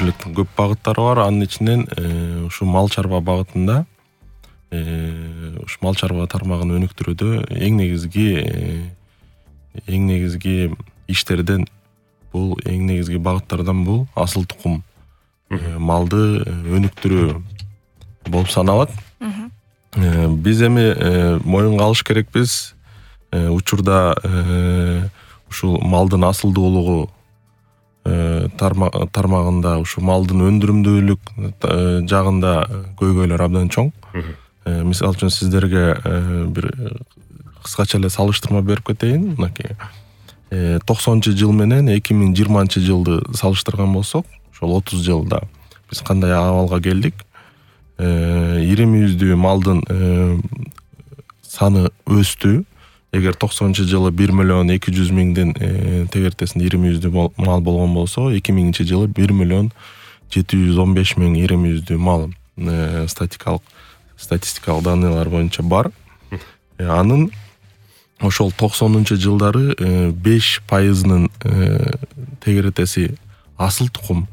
өсүмдүүлүктүн көп багыттары бар. Анын ичинен ушу мал чарба багытында ушу мал чарба тармагын өнүктүрүүдө эң негизги иштерден бул эң негизги багыттардан бул асыл тукум малды өнүктүрүү болуп саналат. Биз эми моюнга алыш керекпиз. Учурда ушул малдын асылдуулугу тармагында ушу малдын өндүрүмдүүлүк жагында көйгөйлөр абдан чоң. Мисалы үчүн сиздерге бир кыскача эле салыштырма берип кетейин. Мынакей 90-жыл менен 2020-жылды салыштырган болсок, ошол 30 жылда биз кандай абалга келдик? Ири мүйүздүү малдын саны өстү. Эгер 90-жылы 1.200.000 тегертесинде ири мүйүздүү мал болгон болсо, 2000-жылы 1.715.000 ири мүйүздүү мал статистикалык данныйлар боюнча бар. Анын ошол 90-жылдары 5%-нын тегеретеси асыл тукум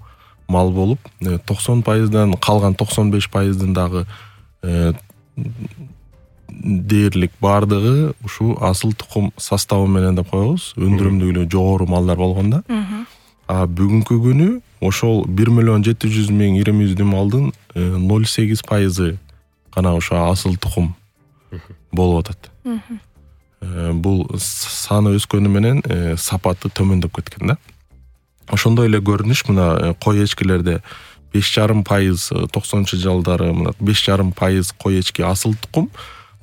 мал болуп, 90%дан калган 95%-дын дагы дээрлик бардыгы ушу асыл тукум составы менен деп коебуз, өндүрүмдүүлүгү жогору малдар болгондо. Бүгүнкү күнү ошол 1.700.000 ири мүйүздүү малдын 0.8% гана ошо асыл тукум болуп атат. Бул саны өскөнү менен сапаты төмөндөп кеткен да. Ошондой эле көрүнүш мына кой эчкилерде 5.5% 90-жылдары мына 5.5% кой эчки асыл тукум,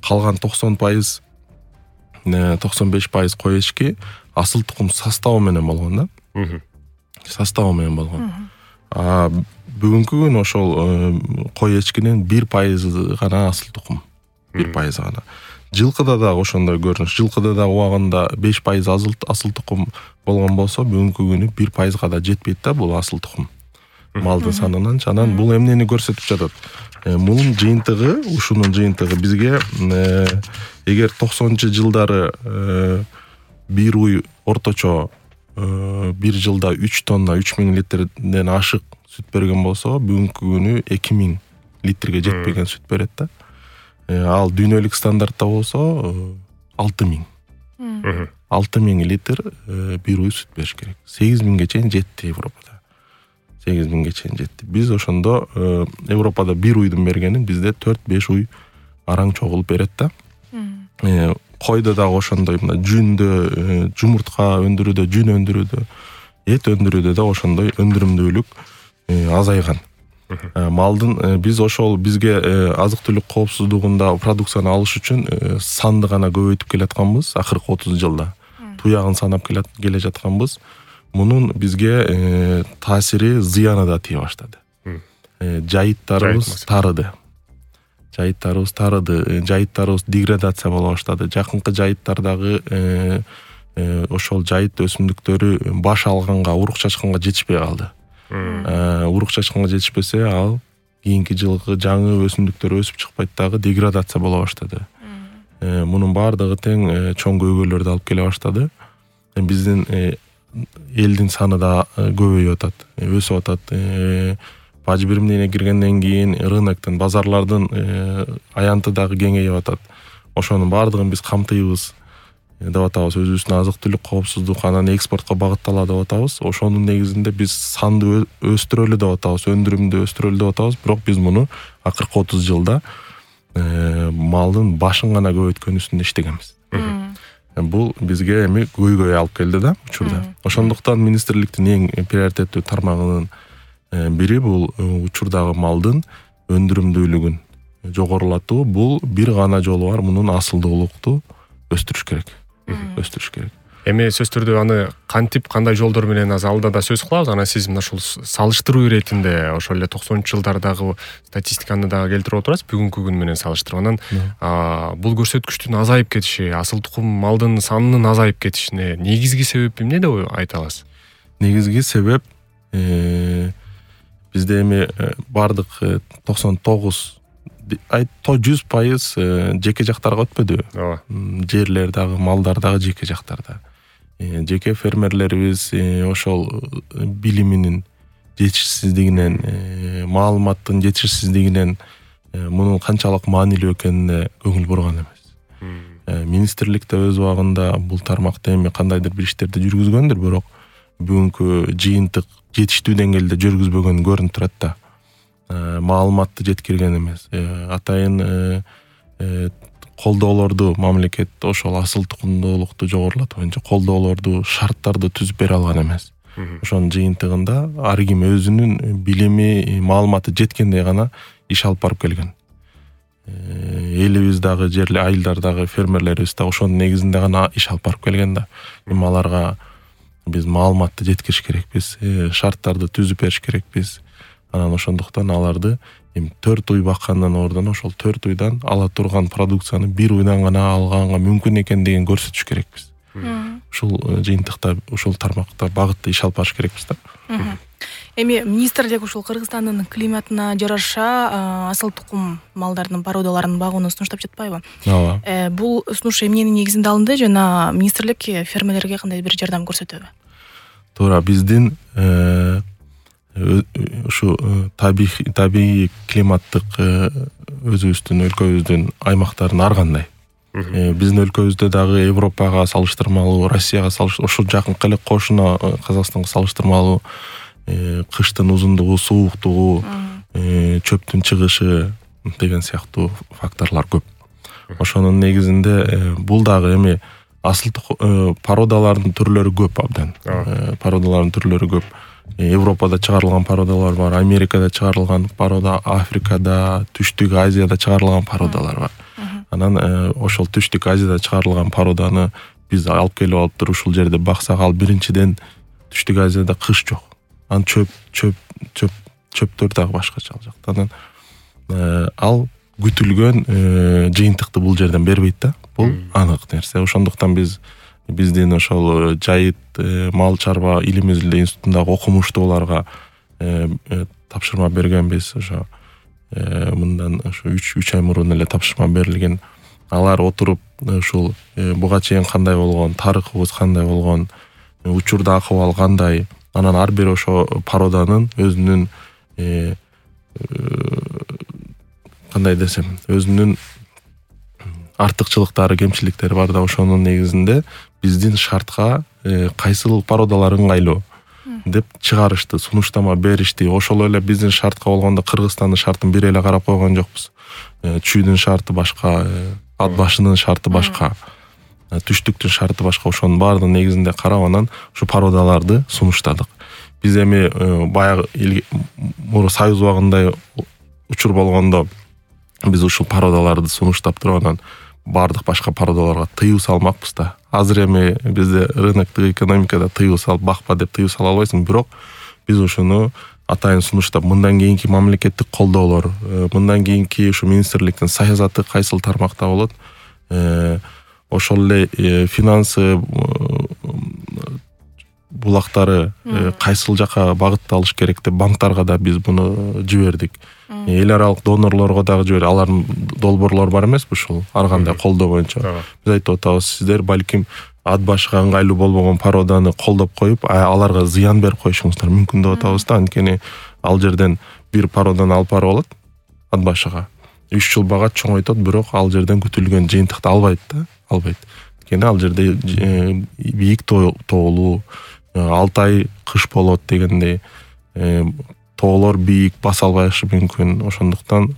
калган 90%, 95% кой эчки асыл тукум составы менен болгон да. Составы менен болгон. Бүгүнкү күн ошол кой эчкинин 1% гана асыл тукум. 1% гана. Жылкыда да ошондой көрүнүш. Жылкыда да убагында 5% асыл тукум болгон болсо, бүгүнкү күнү 1%га да жетпейт да бул асыл тукум малдын санынан. Анан бул эмнени көрсөтүп жатат? Мунун жыйынтыгы, ушунун жыйынтыгы бизге эгер 90-жылдары бир уй орточо бир жылда 3 тонна 3000 литрден ашык сүт берген болсо, бүгүнкү күнү 2000 литрге жетпеген сүт берет да. Ал дүйнөлүк стандартта болсо 6000 литр бир уй сүт бериш керек. 8000ге чейин жетти Европада. 8000ге чейин жетти. Биз ошондо Европада бир уйдун бергенин бизде 4-5 уй араң чогулуп берет да. Койдо да ошондой, мына жүндө, жумуртка өндүрүүдө, жүн өндүрүүдө, эт өндүрүүдө да ошондой өндүрүмдүүлүк азайган. Малдын биз ошол бизге азык-түлүк коопсуздугунда продукцияны алыш үчүн санды гана көбөйтүп келатканбыз акыркы 30 жылда. Туягын санап келе жатканбыз. Мунун бизге таасири, зыяны да тие баштады. Жайыттарыбыз тарыды. Жайыттарыбыз деградация боло баштады. Жакынкы жайыттардагы ошол жайыт өсүмдүктөрү баш алганга, урук чачканга жетишпей калды. Урук чачканга жетишпесе, ал кийинки жылкы жаңы өсүмдүктөр өсүп чыкпайт дагы, деградация боло баштады. Мунун баардыгы тең чоң көйгөйлөрдү алып келе баштады. Биздин элдин саны да көбөйүп атат, өсүп атат. Бажы биримдигине киргенден кийин рыноктун, базарлардын аянты дагы кеңейип атат. Ошонун баардыгын биз камтыйбыз деп атабыз. Өзүбүздүн азык-түлүк коопсуздук, анан экспортко багытталат деп атабыз. Ошонун негизинде биз санды өстүрөлү деп атабыз, өндүрүмдү өстүрөлү деп атабыз. Бирок биз муну акыркы 30 жылда малдын башын гана көбөйткөн үстүндө иштегенбиз. Бул бизге эми көйгөй алып келди да учурда. Ошондуктан министрликтин эң приоритеттүү тармагынын бири бул учурдагы малдын өндүрүмдүүлүгүн жогорулатуу. Бул бир гана жолу бар, мунун асылдуулукту өстүрүш керек. Эми сөз түрдө аны кантип, кандай жолдор менен азыр алда да сөз кылабыз. Анан сиз мына ушул салыштыруу иретинде ошол эле 90-жылдардагы статистиканы дагы келтирип отурасыз, бүгүнкү күн менен салыштырып. Анан бул көрсөткүчтүн азайып кетиши, асыл тукум малдын санынын азайып кетишине негизги себеп эмне деп айта аласыз? Негизги себеп бизде эми бардык 99 100% жеке жактарга өтпөдү. Жерлер дагы, малдар дагы жеке жактарда. Жеке фермерлерибиз ошол билиминин жетишсиздигинен, маалыматтын жетишсиздигинен мунун канчалык маанилүү экенине көңүл бурган эмес. Министрлик да өз убагында бул тармакта эми кандайдыр бир иштерди жүргүзгөндүр, бирок бүгүнкү жыйынтык жетиштүү деңгээлде жүргүзбөгөнү көрүнүп турат да. Маалыматты жеткирген эмес. Атайын колдоолорду мамлекет ошол асыл тукумдуулукту жогорулатуу боюнча колдоолорду, шарттарды түзүп бере алган эмес. Ошонун жыйынтыгында ар ким өзүнүн билими, маалыматы жеткендей гана иш алып барып келген. Элибиз дагы айылдар дагы фермерлерибиз дагы ошонун негизинде гана иш алып барып келген да. Эми аларга биз маалыматты жеткириш керекпиз, шарттарды түзүп бериш керекпиз. Анан ошондуктан аларды эми 4 уй баккандан ордон ошол 4 уйдан ала турган продукцияны 1 уйдан гана алганга мүмкүн экендигин көрсөтүш керекпиз. Ушул жыйынтыкта, ушул тармакта багытта иш алып барыш керекпиз да. Эми министрлик ушул Кыргызстандын климатына жараша асыл тукум малдардын породаларын багууну сунуштап жатпайбы? Ооба. Бул сунуш эмненин негизинде алынды жана министрлик фермерлерге кандай бир жардам көрсөтөбү? Туура, биздин ушу табигый климаттык өзүбүздүн өлкөбүздүн аймактарын ар кандай. Биздин өлкөбүздө дагы Европага салыштырмалуу, Россияга ошо жакынкы эле кошуна Казакстанга салыштырмалуу кыштын узундугу, сууктугу, чөптүн чыгышы деген сыяктуу факторлор көп. Ошонун негизинде бул дагы эми асыл породалардын түрлөрү көп абдан. Породалардын түрлөрү көп. Европада чыгарылган породалар бар, Америкада чыгарылган порода, Африкада, Түштүк Азияда чыгарылган породалар бар. Анан ошол Түштүк Азияда чыгарылган породаны биз алып келип алып туруп ушул жерде баксак, ал биринчиден Түштүк Азияда кыш жок. Анан чөптөр дагы башкача ал жакта. Анан ал күтүлгөн жыйынтыкты бул жерден бербейт да. Бул анык нерсе. Ошондуктан биздин ошол жайыт мал чарба илим-изилдөө институтундагы окумуштууларга тапшырма бергенбиз. Ошо мындан ошо 3 ай мурун эле тапшырма берилген. Алар отуруп ушул буга чейин кандай болгон, тарыхыбыз кандай болгон, учурда акыбал кандай, анан ар бир ошо породанын өзүнүн кандай десем, өзүнүн артыкчылыктары, кемчиликтери бар да, ошонун негизинде биздин шартка кайсыл породалар ыңгайлуу деп чыгарышты, сунуштама беришти. Ошол эле биздин шартка болгондо Кыргызстандын шартын бир эле карап койгон жокпуз. Чүйдүн шарты башка, ат башынын шарты башка, түштүктүн шарты башка. Ошонун баардыгын негизинде карап анан ушу породаларды сунуштадык. Биз эми баягы Союз убагында учур болгондо биз ушул породаларды сунуштап туруп анан баардык башка породаларга тыюу салмакпыз да. Азыр эми бизде рыноктук экономикада тыюу салып бакпа деп тыюу сала албайсың, бирок биз ошону атайын сунуштап, мындан кийинки мамлекеттик колдоолор, мындан кийинки ушу министрликтин саясаты кайсыл тармакта болот, ошол эле финансы булактары кайсыл жака багытталыш керек деп банктарга да биз буну жибердик. Эл аралык донорлорго дагы жибердик. Алардын долбоорлору бар эмеспи ушул ар кандай колдоо боюнча. Биз айтып атабыз, сиздер балким ат башыга ыңгайлуу болбогон породаны колдоп коюп, аларга зыян берип коюшуңуздар мүмкүн деп атабыз да. Анткени ал жерден бир породаны алып барып алат ат башыга. 3 жыл багат, чоңойтот, бирок ал жерден күтүлгөн жыйынтыкты албайт да, албайт. Анткени ал жерде бийик тоолуу, 6 ай кыш болот дегендей, тоолор бийик, баса албашы мүмкүн. Ошондуктан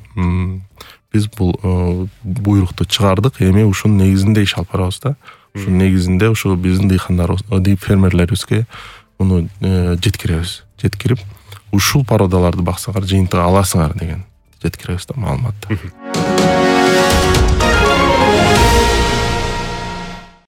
биз бул буйрукту чыгардык. Эми ушунун негизинде иш алып барабыз да. Ушунун негизинде ушу биздин дыйкандарыбыз, фермерлерибизге муну жеткиребиз. Жеткирип, ушул породаларды баксаңар жыйынтык аласыңар деген жеткиребиз да маалыматты.